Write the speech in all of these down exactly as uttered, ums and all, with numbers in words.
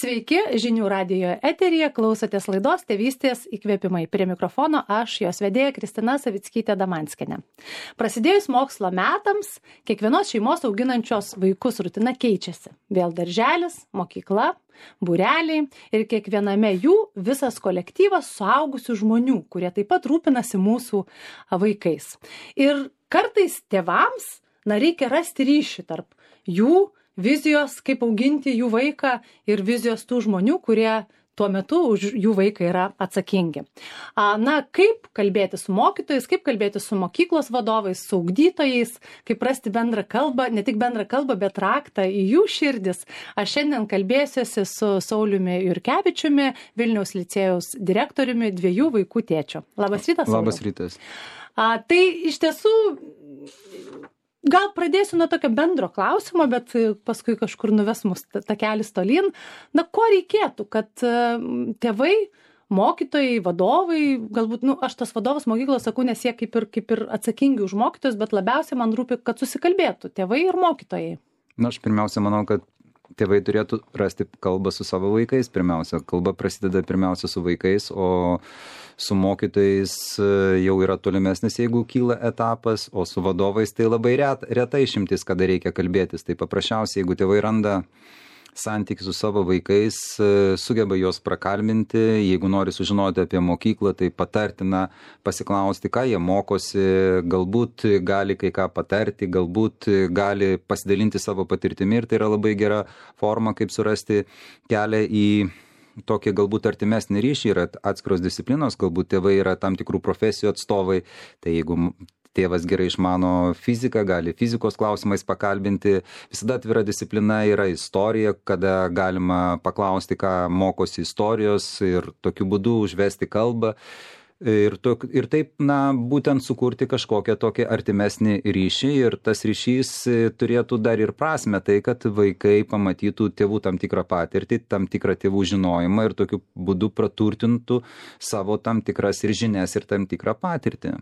Sveiki, žinių radijo eteryje, klausotės laidos Tėvystės įkvėpimai. Prie mikrofono aš, jos vedėja Kristina Savickytė-Damanskienė. Prasidėjus mokslo metams, kiekvienos šeimos auginančios vaikus rutina keičiasi. Vėl darželis, mokykla, būreliai ir kiekviename jų visas kolektyvas suaugusių žmonių, kurie taip pat rūpinasi mūsų vaikais. Ir kartais tėvams, na, reikia rasti ryšį tarp jų vizijos, kaip auginti jų vaiką ir vizijos tų žmonių, kurie tuo metu už jų vaiką yra atsakingi. Na, kaip kalbėti su mokytojais, kaip kalbėti su mokyklos vadovais, su ugdytojais, kaip rasti bendrą kalbą, ne tik bendrą kalbą, bet raktą į jų širdis. Aš šiandien kalbėsiuosi su Sauliumi Jurkevičiumi, Vilniaus licėjaus direktoriumi, dviejų vaikų tėčiu. Labas rytas, Sauliau. Labas rytas. A, tai iš tiesų, gal pradėsiu nuo tokio bendro klausimo, bet paskui kažkur nuves mus takelis tolyn. Na, ko reikėtų, kad tėvai, mokytojai, vadovai, galbūt, nu, aš tas vadovas mokyklos sakau, nes jie kaip ir, kaip ir atsakingi už mokytojus, bet labiausiai man rūpi, kad susikalbėtų tėvai ir mokytojai. Na, aš pirmiausia manau, kad tėvai turėtų rasti kalbą su savo vaikais. Pirmiausia, kalba prasideda pirmiausia su vaikais, o su mokytojais jau yra tolimesnis, jeigu kyla etapas, o su vadovais tai labai ret, reta išimtis, kada reikia kalbėtis. Tai paprasčiausiai, jeigu tėvai randa santykį su savo vaikais, sugeba juos prakalbinti, jeigu nori sužinoti apie mokyklą, tai patartina pasiklausti, ką jie mokosi, galbūt gali kai ką patarti, galbūt gali pasidalinti savo patirtimi ir tai yra labai gera forma, kaip surasti kelią į tokį galbūt artimesnį ryšį. Yra atskiros disciplinos, galbūt tėvai yra tam tikrų profesijų atstovai, tai jeigu tėvas gerai išmano fiziką, gali fizikos klausimais pakalbinti. Visada atvira disciplina yra istorija, kada galima paklausti, ką mokosi istorijos ir tokiu būdu užvesti kalbą. Ir, to, ir taip, na, būtent sukurti kažkokią tokį artimesnį ryšį ir tas ryšys turėtų dar ir prasme, tai kad vaikai pamatytų tėvų tam tikrą patirtį, tam tikrą tėvų žinojimą ir tokiu būdu praturtintų savo tam tikras ir žinias ir tam tikrą patirtį.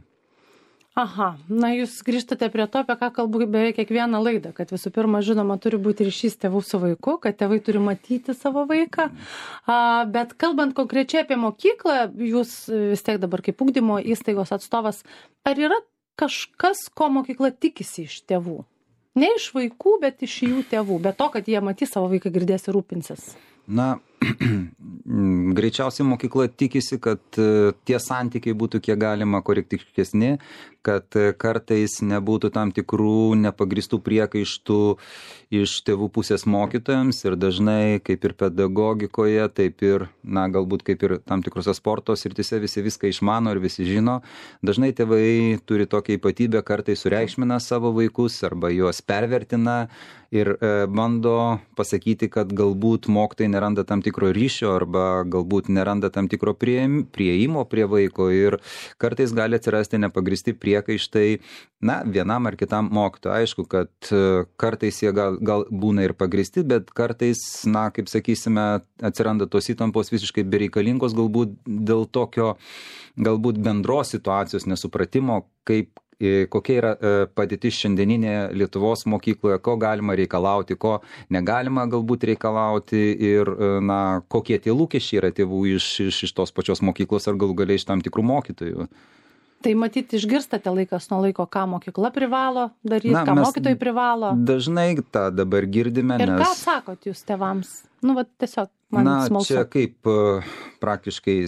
Aha, na jūs grįžtate prie to, apie ką kalbu beveik kiekvieną laidą, kad visų pirma, žinoma, turi būti ryšys tėvų su vaiku, kad tėvai turi matyti savo vaiką, a, bet kalbant konkrečiai apie mokyklą, jūs vis tiek dabar kaip ugdymo įstaigos atstovas, ar yra kažkas, ko mokykla tikisi iš tėvų? Ne iš vaikų, bet iš jų tėvų, bet to, kad jie matys savo vaiką, girdės ir rūpinsis. Na, greičiausiai mokykla tikisi, kad tie santykiai būtų kiek galima korektiškesni, kad kartais nebūtų tam tikrų nepagristų priekaištų iš tėvų pusės mokytojams ir dažnai, kaip ir pedagogikoje, taip ir, na, galbūt kaip ir tam tikrose sporto srityse visi viską išmano ir visi žino. Dažnai tėvai turi tokią ypatybę, kartais sureikšmina savo vaikus arba juos pervertina ir e, bando pasakyti, kad galbūt mokytojai neranda tam tikro ryšio arba galbūt neranda tam tikro prieimo prie vaiko ir kartais gali atsirasti nepagristi priekaištai, na, vienam ar kitam mokytojui. Aišku, kad kartais jie gal, gal būna ir pagristi, bet kartais, na, kaip sakysime, atsiranda tos įtampos visiškai bereikalingos, galbūt dėl tokio, galbūt bendros situacijos nesupratimo, kaip kokia yra padėtis šiandieninė Lietuvos mokykloje, ko galima reikalauti, ko negalima galbūt reikalauti ir, na, kokie tie lūkesčiai yra tėvų iš, iš, iš tos pačios mokyklos ar galų galiai iš tam tikrų mokytojų. Tai matyti, išgirstate laikas nuo laiko, ką mokykla privalo daryti, Na, ką mokytojai privalo. Dažnai tą dabar girdime. Ir nes... ką sakot jūs tėvams? Nu, va, tiesiog man Na, smalsu. čia kaip praktiškai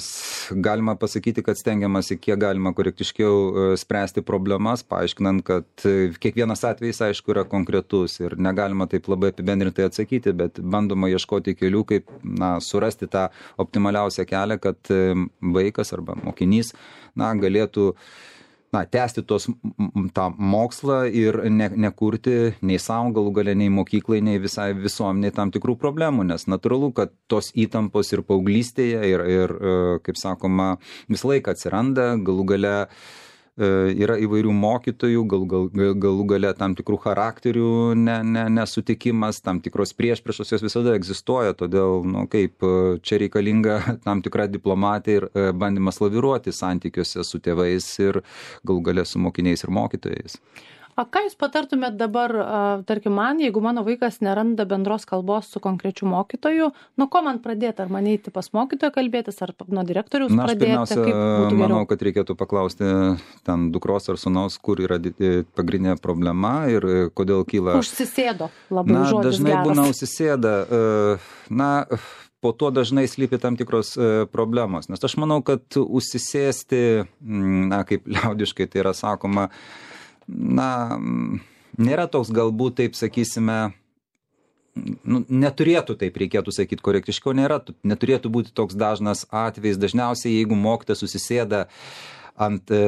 galima pasakyti, kad stengiamasi kiek galima korektiškiau spręsti problemas, paaiškinant, kad kiekvienas atvejis, aišku, yra konkretus ir negalima taip labai apibendrintai atsakyti, bet bandoma ieškoti kelių, kaip, na, surasti tą optimaliausią kelią, kad vaikas arba mokinys, na, galėtų na, tęsti tos, tą mokslą ir ne, nekurti nei savo galų gale, nei mokyklai, nei visai visuomeniai tam tikrų problemų, nes natūralu, kad tos įtampos ir paauglystėje ir, ir kaip sakoma, visą laiką atsiranda, galų gale yra įvairių mokytojų, gal, gal, galų gale tam tikrų charakterių ne, ne, nesutikimas, tam tikros priešpriešos jos visada egzistuoja, todėl, nu, kaip čia reikalinga tam tikra diplomatija ir bandymas laviruoti santykiuose su tėvais ir galų gale su mokiniais ir mokytojais. O ką jūs patartumėt dabar, tarkim, man, jeigu mano vaikas neranda bendros kalbos su konkrečiu mokytoju, nuo ko man pradėti? Ar man eiti pas mokytoją kalbėtis, ar nuo direktoriaus Na, aš pradėti? pirmiausia, Kaip būtų geriau? manau, kad reikėtų paklausti ten dukros ar sūnaus, kur yra di- pagrindinė problema ir e, kodėl kyla. Užsisėdo labai Na, žodis dažnai geras. būna užsisėda. e, Na, po to dažnai slypi tam tikros e, problemos. Nes aš manau, kad užsisėsti, mm, na, kaip liaudiškai tai yra sakoma, na, mm, nėra toks galbūt, taip sakysime, nu, neturėtų taip reikėtų sakyti korektiškiau, nėra, neturėtų būti toks dažnas atvejis. Dažniausiai, jeigu mokytojas susisėda ant e,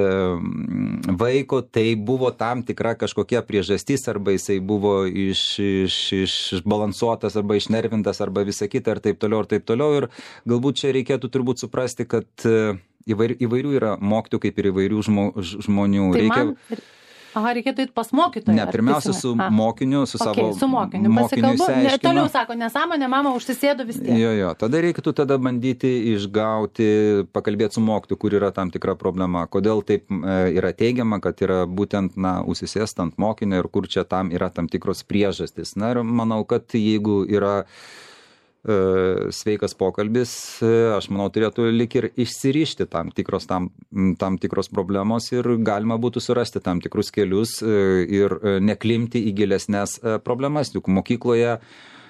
vaiko, tai buvo tam tikra kažkokia priežastis, arba jisai buvo iš, iš, išbalansuotas, arba išnervintas, arba visa kita, ir taip toliau, ir taip toliau. Ir galbūt čia reikėtų turbūt suprasti, kad e, įvairių, įvairių yra mokytojų, kaip ir įvairių žmo, žmonių. Tai Reikia... man... Aha, reikėtų eiti pas mokytoją. Ne, pirmiausia su A. mokiniu, su Okay, savo su mokiniu mokiniu pasikalbu. Ne, išsiaiškinu. toliau sako, nesąmonė, mama užsisėdo vis tiek. Jo, jo, tada reikėtų tada bandyti išgauti, pakalbėti su mokytoju, kur yra tam tikra problema, kodėl taip e, yra teigiama, kad yra būtent, na, užsisėst ant mokinio ir kur čia tam yra tam tikros priežastys. Na ir manau, kad jeigu yra e, sveikas pokalbis, e, aš manau, turėtų lik ir išsirišti tam tikros, tam, tam tikros problemos ir galima būtų surasti tam tikrus kelius e, ir e, neklimti į gilesnės e, problemas. Juk mokykloje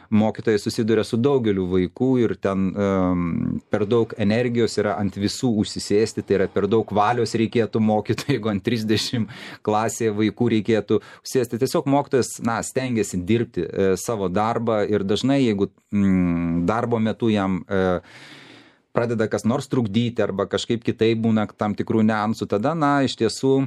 mokytojai susiduria su daugeliu vaikų ir ten um, per daug energijos yra ant visų užsisėsti, tai yra per daug valios reikėtų mokytojai, jeigu ant trisdešimt klasėje vaikų reikėtų užsėsti. Tiesiog mokytojas, na, stengiasi dirbti e, savo darbą ir dažnai, jeigu mm, darbo metu jam e, pradeda kas nors trukdyti arba kažkaip kitaip būna tam tikrų niuansų, tada, na, iš tiesų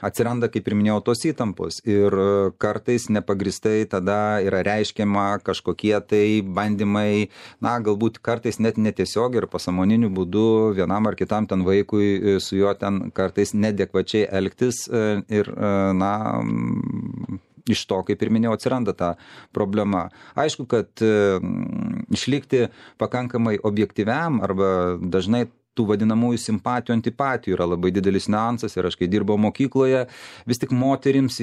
atsiranda, kaip ir minėjau, tos įtampos ir kartais nepagristai tada yra reiškiama kažkokie tai bandymai, na, galbūt kartais net netiesiog ir pasąmoniniu būdu vienam ar kitam ten vaikui su juo ten kartais nedekvačiai elgtis ir, na, iš to, kaip ir minėjau, atsiranda ta problema. Aišku, kad išlikti pakankamai objektyviam arba dažnai tų vadinamųjų simpatijų, antipatijų yra labai didelis niuansas ir aš, kai dirbau mokykloje, vis tik moterims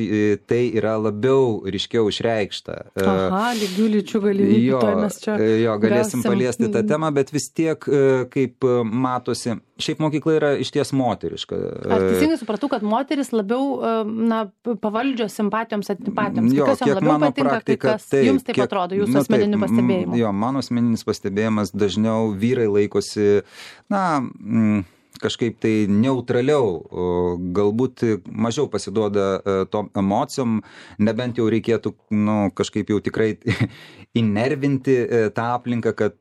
tai yra labiau ryškiau išreikšta. Aha, lygių lyčių galimybių. Jo, mes čia jo, galėsim gausim. paliesti tą temą, bet vis tiek, kaip matosi, šiaip mokykla yra išties moteriška. Ar teisingai supratau, kad moteris labiau, na, pavaldžios simpatijoms, antipatijoms? Jo, kas jom kiek labiau mano patinka, praktika, kas jums taip kiek, atrodo, jūsų nu, asmeniniu taip, pastebėjimu? Jo, mano asmeninis pastebėjimas dažniau vyrai laikosi, na, mm, kažkaip tai neutraliau, galbūt mažiau pasiduoda tom emocijom, nebent jau reikėtų, nu, kažkaip jau tikrai įnervinti tą aplinką, kad,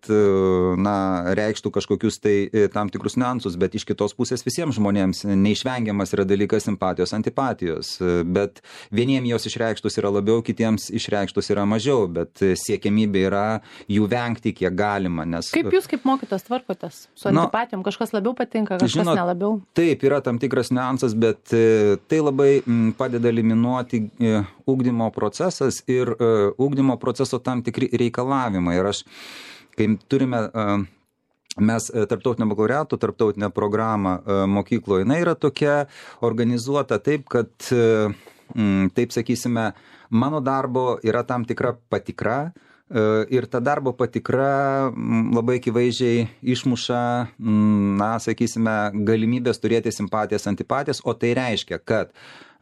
na, reikštų kažkokius tai tam tikrus niuansus, bet iš kitos pusės visiems žmonėms neišvengiamas yra dalykas simpatijos, antipatijos, bet vieniems jos išreikštus yra labiau, kitiems išreikštus yra mažiau, bet siekiamybė yra jų vengti kiek galima, nes... Kaip jūs kaip mokytas tvarkotės su antipatijom? Kažkas labiau patinka, kažkas žinot, nelabiau? Taip, yra tam tikras niuansas, bet tai labai padeda eliminuoti ugdymo procesas ir ugdymo proceso tam tikri reikalavimai. Ir aš, kai turime, mes tarptautinio bakalaureato, tarptautinę programą mokykloje, jinai yra tokia organizuota taip, kad, taip sakysime, mano darbo yra tam tikra patikra, ir ta darbo patikra labai akivaizdžiai išmuša, na, sakysime, galimybės turėti simpatijas, antipatijas, o tai reiškia, kad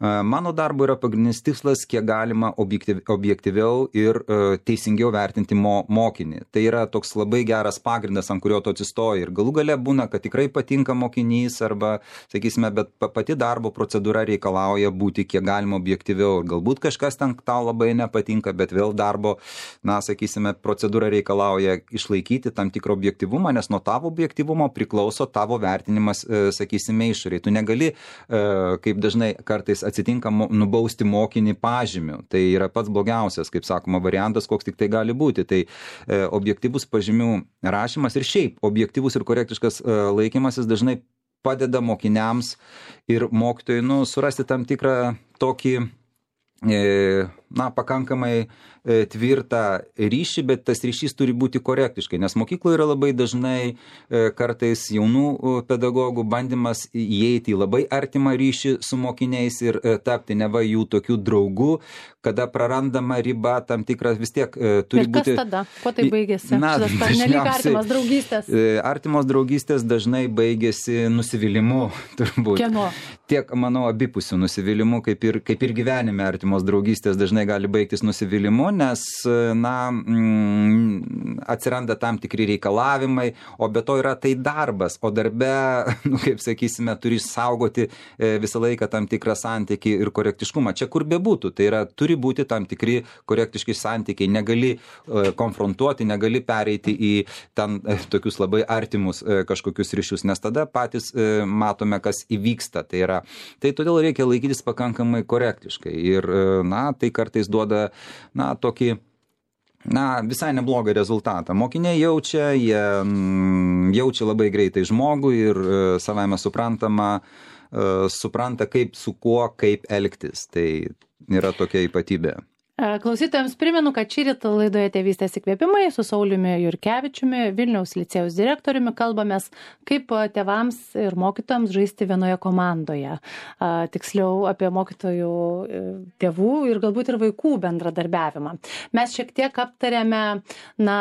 mano darbo yra pagrindinis tikslas, kiek galima objektyv, objektyviau ir uh, teisingiau vertinti mo, mokinį. Tai yra toks labai geras pagrindas, ant kurio tu atsistoji. Ir galų gale būna, kad tikrai patinka mokinys arba, sakysime, bet pati darbo procedūra reikalauja būti kiek galima objektyviau. Ir galbūt kažkas ten tau labai nepatinka, bet vėl darbo, na, sakysime, procedūra reikalauja išlaikyti tam tikrą objektyvumą, nes nuo tavo objektyvumo priklauso tavo vertinimas, uh, sakysime, išoriai. Tu negali, uh, kaip dažnai kartais atsitinka nubausti mokinį pažymiu. Tai yra pats blogiausias, kaip sakoma, variantas, koks tik tai gali būti. Tai e, objektyvus pažymių rašymas ir šiaip objektyvus ir korektiškas e, laikymasis dažnai padeda mokiniams ir mokytojui, nu, surasti tam tikrą tokį, e, na, pakankamai tvirtą ryšį, bet tas ryšys turi būti korektiškai, nes mokykloje yra labai dažnai kartais jaunų pedagogų bandymas įeiti į labai artimą ryšį su mokiniais ir tapti neva jų tokių draugų, kada prarandama riba tam tikras vis tiek turi ir kas būti... tada? Kuo tai baigėsi? Na, dažniausiai artimos draugystės. Artimos draugystės dažnai baigėsi nusivylimu, turbūt. Kieno? Tiek, manau, abipusių nusivylimų, kaip ir, kaip ir gyvenime artimos draugystės dažnai gali baigtis nusivylimu, nes, na, mm, atsiranda tam tikri reikalavimai, o be to yra tai darbas, o darbe, nu, kaip sakysime, turi saugoti visą laiką tam tikrą santykį ir korektiškumą. Čia kur bebūtų, tai yra, turi būti tam tikri korektiški santykiai, negali konfrontuoti, negali pereiti į ten tokius labai artimus kažkokius ryšius, nes tada patys matome, kas įvyksta. Tai yra, tai todėl reikia laikytis pakankamai korektiškai ir, na, tai kartais duoda, na, tokį, na, visai neblogą rezultatą. Mokiniai jaučia, jie jaučia labai greitai žmogų ir savaime suprantama, supranta, kaip su kuo, kaip elgtis. Tai yra tokia ypatybė. Klausytojams primenu, kad šįryt laidoje Tėvystės įkvėpimai su Sauliumi Jurkevičiumi, Vilniaus licėjaus direktoriumi, kalbamės, kaip tėvams ir mokytojams žaisti vienoje komandoje. Tiksliau apie mokytojų, tėvų ir galbūt ir vaikų bendradarbiavimą. Mes šiek tiek aptarėme, na,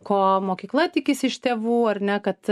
ko mokykla tikisi iš tėvų, ar ne, kad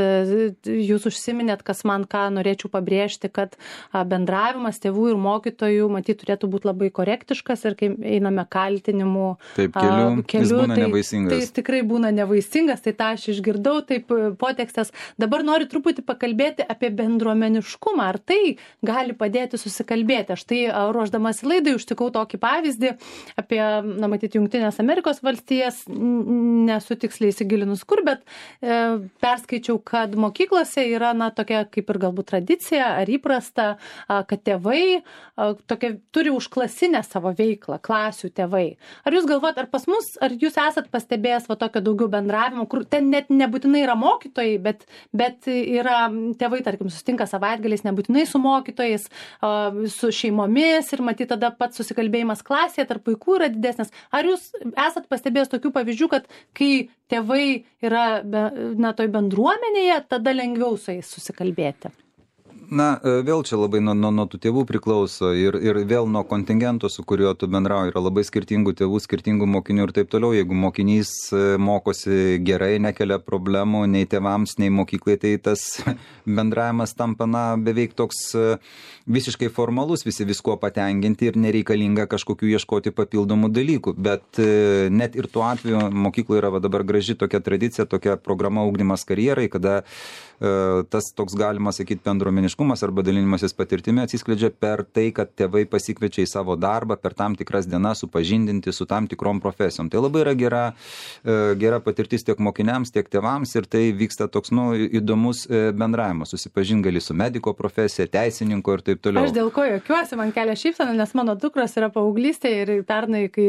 jūs užsiminėt, kas man ką norėčiau pabrėžti, kad bendravimas tėvų ir mokytojų, matyt, turėtų būti labai korektiškas ir kai einame kaltinimų taip, keliu, keliu, jis būna tai, nevaisingas. Tai jis tikrai būna nevaisingas, tai tą aš išgirdau, taip potekstas. Dabar noriu truputį pakalbėti apie bendruomeniškumą, ar tai gali padėti susikalbėti. Aš tai ruošdamas laidai užtikau tokį pavyzdį apie, na, matyti, Jungtinės Amerikos valstijas, nesu tiksliai įsigilinus kur, bet e, perskaičiau, kad mokyklose yra, na, tokia kaip ir galbūt tradicija ar įprasta, a, kad tėvai a, tokia, turi užklasinę savo veiklą, klasių tėvai. Ar jūs galvojat, ar pas mus, ar jūs esat pastebėjęs va tokio daugiau bendravimo, kur ten net nebūtinai yra mokytojai, bet, bet yra tėvai, tarkim, susitinka savaitgaliais nebūtinai su mokytojais, su šeimomis ir matyt tada pats susikalbėjimas klasėje tarp vaikų yra didesnis. Ar jūs esat pastebėjęs tokių pavyzdžių, kad kai tėvai yra, na, toj bendruomenėje, tada lengviau su jais susikalbėti? Na, vėl čia labai nuo, nuo, nuo tų tėvų priklauso ir, ir vėl nuo kontingento, su kuriuo tu bendrauji, yra labai skirtingų tėvų, skirtingų mokinių ir taip toliau. Jeigu mokinys mokosi gerai, nekelia problemų nei tėvams, nei mokyklai, tai tas bendravimas tampa, na, beveik toks visiškai formalus, visi visko patenkinti ir nereikalinga kažkokių ieškoti papildomų dalykų. Bet net ir tuo atveju mokykloje yra va, dabar graži tokia tradicija, tokia programa ugdymas karjerai, kada tas toks, galima sakyti, bendruomeniškumas arba dalinimasis patirtimi atsiskleidžia per tai, kad tėvai pasikviečia į savo darbą per tam tikras dienas supažindinti su tam tikrom profesijom. Tai labai yra gera, gera patirtis tiek mokiniams, tiek tėvams ir tai vyksta toks, nu, įdomus bendravimas. Susipažint gali su mediko profesija, teisininko ir taip toliau. Aš dėl ko juokiuosi, man kelia šypseną, nes mano dukros yra paauglystėje ir pernai, kai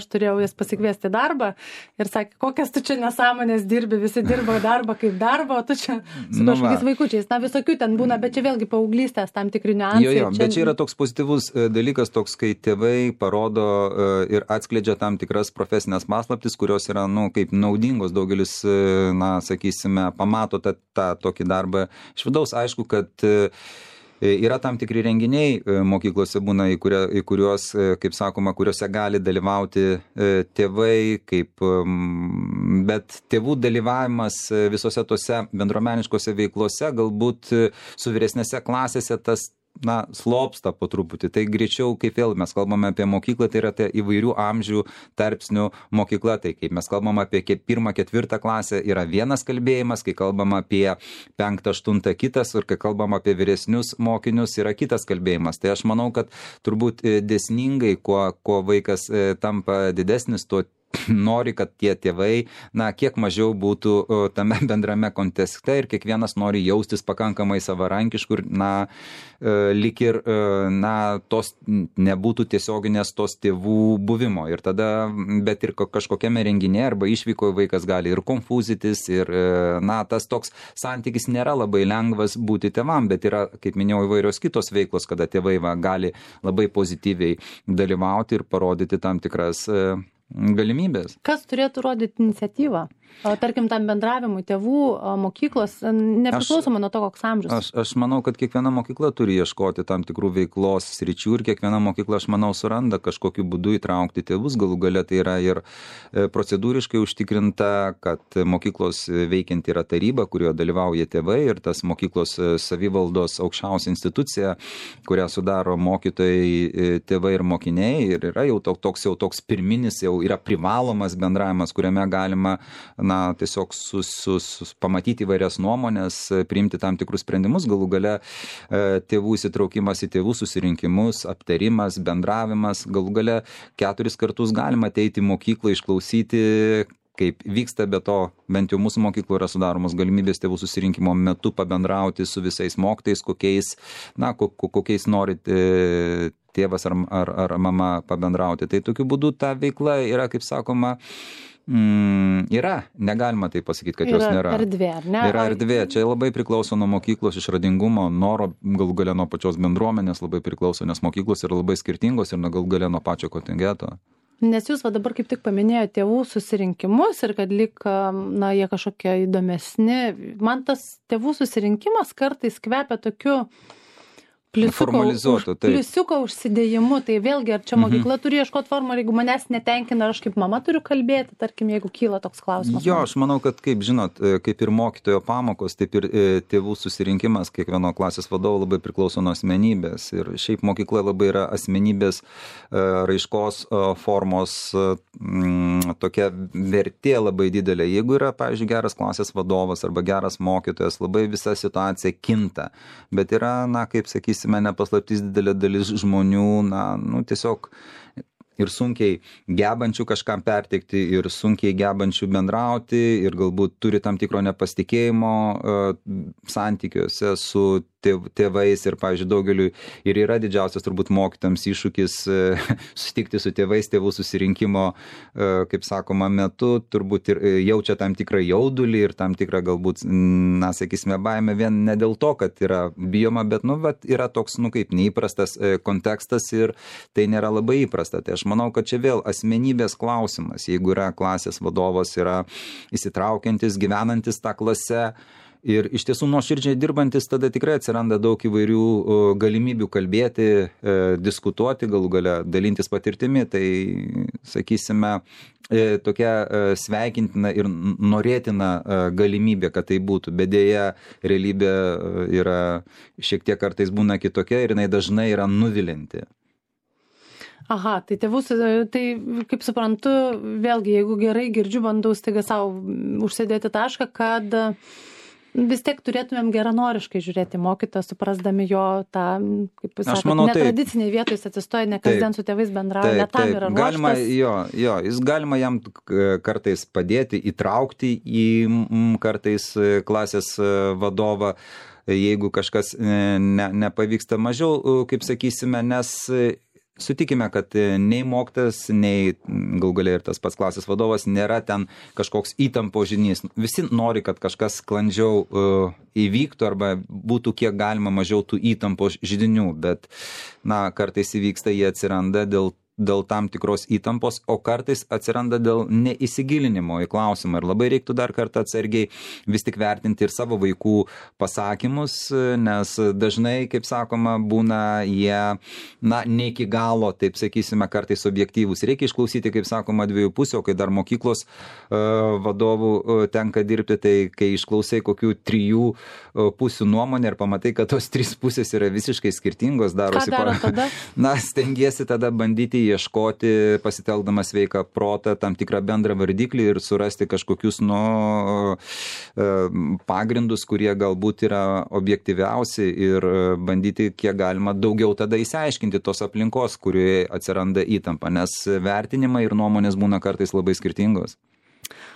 aš turėjau jas pasikviesti darbą ir sakė, kokias tu čia nesąmonės dirbi, visi dirba darbą kaip darbą, o tu čia su kažkokiais nu vaikučiais. Na, visokių ten būna, bet čia vėlgi paauglystės tam tikri niuansai. Jo, jo, čia... bet čia yra toks pozityvus dalykas, toks, kai tėvai parodo ir atskleidžia tam tikras profesinės paslaptis, kurios yra, nu, kaip naudingos. Daugelis, na, sakysime, pamato tą, tą tokį darbą iš vidaus. Aišku, kad yra tam tikri renginiai mokyklose būna, į, kuria, į kuriuos, kaip sakoma, kuriuose gali dalyvauti tėvai, kaip, bet tėvų dalyvavimas visose tose bendruomeniškose veiklose, galbūt su vyresnėse klasėse tas, na, slopsta po truputį. Tai greičiau, kaip vėl mes kalbame apie mokyklą, tai yra tai įvairių amžių tarpsnių mokykla. Tai kaip mes kalbame apie pirmą, ketvirtą klasę, yra vienas kalbėjimas, kai kalbame apie penktą, aštuntą kitas, ir kai kalbame apie vyresnius mokinius, yra kitas kalbėjimas. Tai aš manau, kad turbūt dėsningai, kuo, kuo vaikas tampa didesnis, tuo nori, kad tie tėvai, na, kiek mažiau būtų tame bendrame kontekste ir kiekvienas nori jaustis pakankamai savarankiškų ir, na, lyg ir, na, tos nebūtų tiesioginės tos tėvų buvimo. Ir tada, bet ir kažkokiame renginėje arba išvykoje vaikas gali ir konfuzitis, ir, na, tas toks santykis nėra labai lengvas būti tėvam, bet yra, kaip minėjau, įvairios kitos veiklos, kada tėvai va, gali labai pozityviai dalyvauti ir parodyti tam tikras galimybės. Kas turėtų rodyti iniciatyvą? Tarkim, tam bendravimui tėvų, mokyklos, nepriklausomai nuo to, koks amžius. Aš, aš manau, kad kiekviena mokykla turi ieškoti tam tikrų veiklos sričių ir kiekviena mokykla, aš manau, suranda kažkokiu būdu įtraukti tėvus. Galų gale tai yra ir procedūriškai užtikrinta, kad mokyklos veikianti yra taryba, kurioje dalyvauja tėvai ir tas mokyklos savivaldos aukščiausia institucija, kurią sudaro mokytojai, tėvai ir mokiniai. Ir yra jau toks, jau toks pirminis, jau yra privalomas bendravimas, kuriame galima na, tiesiog sus, sus, sus, pamatyti įvairias nuomonės, priimti tam tikrus sprendimus, galų gale tėvų įsitraukimas į tėvų susirinkimus, aptarimas, bendravimas, galų gale keturis kartus galima ateiti į mokyklą, išklausyti, kaip vyksta, be to, bent jau mūsų mokyklų yra sudaromos galimybės tėvų susirinkimo metu pabendrauti su visais mokytojais, kokiais, na, kokiais norit tėvas ar, ar, ar mama pabendrauti. Tai tokiu būdu ta veikla yra, kaip sakoma, Mm, yra, negalima tai pasakyti, kad yra jos nėra. Erdvė, ar ne? Yra erdvė, čia labai priklauso nuo mokyklos išradingumo, noro, galų gale nuo pačios bendruomenės labai priklauso, nes mokyklos yra labai skirtingos ir galų gale nuo pačio kontingeto. Nes jūs va dabar kaip tik paminėjote tėvų susirinkimus ir kad lyg, na, jie kažkokie įdomesni. Man tas tėvų susirinkimas kartais kvepia tokiu pliusiuko, už, pliusiuko užsidėjimu, tai vėlgi, ar čia mokykla turi ieškoti formą, ar jeigu manęs netenkina, ar aš kaip mama turiu kalbėti, tarkim, jeigu kyla toks klausimas. Jo, aš manau, kad kaip žinot, kaip ir mokytojo pamokos, taip ir tėvų susirinkimas, kiekvieno klasės vadovo labai priklauso nuo asmenybės. Ir šiaip mokykla labai yra asmenybės raiškos formos m, tokia vertė labai didelė. Jeigu yra, pavyzdžiui, geras klasės vadovas arba geras mokytojas, labai visa situacija kinta. Bet yra, na, kaip sakys, nepaslaptys didelė dalis žmonių, na, nu, tiesiog ir sunkiai gebančių kažkam perteikti, ir sunkiai gebančių bendrauti, ir galbūt turi tam tikro nepasitikėjimo uh, santykiuose su tėvais ir, pavyzdžiui, daugeliu ir yra didžiausias turbūt mokytams iššūkis uh, susitikti su tėvais tėvų susirinkimo, uh, kaip sakoma, metu, turbūt ir jaučia tam tikrą jaudulį ir tam tikrą galbūt, na, sakysime, baimę vien ne dėl to, kad yra bijoma, bet, nu, bet yra toks, nu, kaip neįprastas uh, kontekstas ir tai nėra labai įprasta. Tai aš manau, kad čia vėl asmenybės klausimas, jeigu yra klasės vadovas, yra įsitraukiantis, gyvenantis tą klasę ir iš tiesų nuoširdžiai dirbantis, tada tikrai atsiranda daug įvairių galimybių kalbėti, diskutuoti, galų gale dalintis patirtimi, tai, sakysime, tokia sveikintina ir norėtina galimybė, kad tai būtų, bet dėja realybė yra šiek tiek kartais būna kitokia ir jinai dažnai yra nuvilinti. Aha, tai tėvus, tai kaip suprantu, vėlgi, jeigu gerai girdžiu, bandau staiga savo užsėdėti tašką, kad vis tiek turėtumėm geranoriškai žiūrėti mokytoją, suprasdami jo tą, kaip jūs sakot, netradiciniai vietoj jis atsistoja, ne kasdien su tėvais bendrauja, ne tam yra ruoštas. Galima, jo, jo, jis galima jam kartais padėti, įtraukti į kartais klasės vadovą, jeigu kažkas ne, nepavyksta mažiau, kaip sakysime, nes sutikime, kad nei mokytojas, nei galų gale ir tas pats klasės vadovas nėra ten kažkoks įtampo židinys. Visi nori, kad kažkas sklandžiau uh, įvyktų arba būtų kiek galima mažiau tų įtampo židinių, bet, na, kartais įvyksta, jie atsiranda dėl dėl tam tikros įtampos, o kartais atsiranda dėl neįsigilinimo į klausimą. Ir labai reiktų dar kartą atsargiai vis tik vertinti ir savo vaikų pasakymus, nes dažnai, kaip sakoma, būna jie, na, ne iki galo, taip sakysime, kartais objektyvūs. Reikia išklausyti, kaip sakoma, dviejų pusių, o kai dar mokyklos uh, vadovų uh, tenka dirbti, tai kai išklausai kokių trijų uh, pusių nuomonę ir pamatai, kad tos trys pusės yra visiškai skirtingos, darosi. Ką daro tada? Na, stengiesi tada bandyti ieškoti, pasitelkdamas sveiką protą, tam tikrą bendrą vardiklį ir surasti kažkokius, nu, pagrindus, kurie galbūt yra objektyviausi ir bandyti kiek galima daugiau tada įsiaiškinti tos aplinkos, kurioje atsiranda įtampa, nes vertinimai ir nuomonės būna kartais labai skirtingos.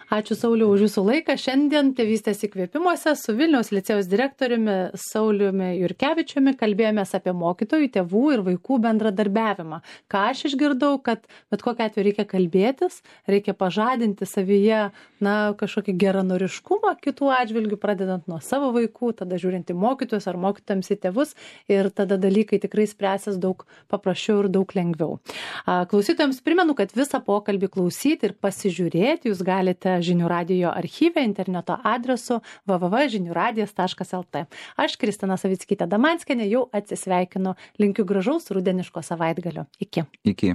Ačiū Sauliau už jūsų laiką. Šiandien Tėvystės įkvėpimuose su Vilniaus licėjaus direktoriumi Sauliumi Jurkevičiumi kalbėjomės apie mokytojų, tėvų ir vaikų bendradarbiavimą. Ką aš išgirdau, kad bet kokiu atveju reikia kalbėtis, reikia pažadinti savyje na, kažkokį geranoriškumą kitų atžvilgių, pradedant nuo savo vaikų, tada žiūrint į mokytojus ar mokytojams į tėvus ir tada dalykai tikrai spręsis daug paprasčiau ir daug lengviau. Klausytojams primenu, kad visą pokalbį klausyti ir pasižiūrėti jūs galite Žinių radijo archyve interneto adresu w w w taškas žinių radijas taškas l t. Aš, Kristina Savickytė Damanskienė, jau atsisveikinu. Linkiu gražaus rudeniško savaitgalio. Iki. Iki.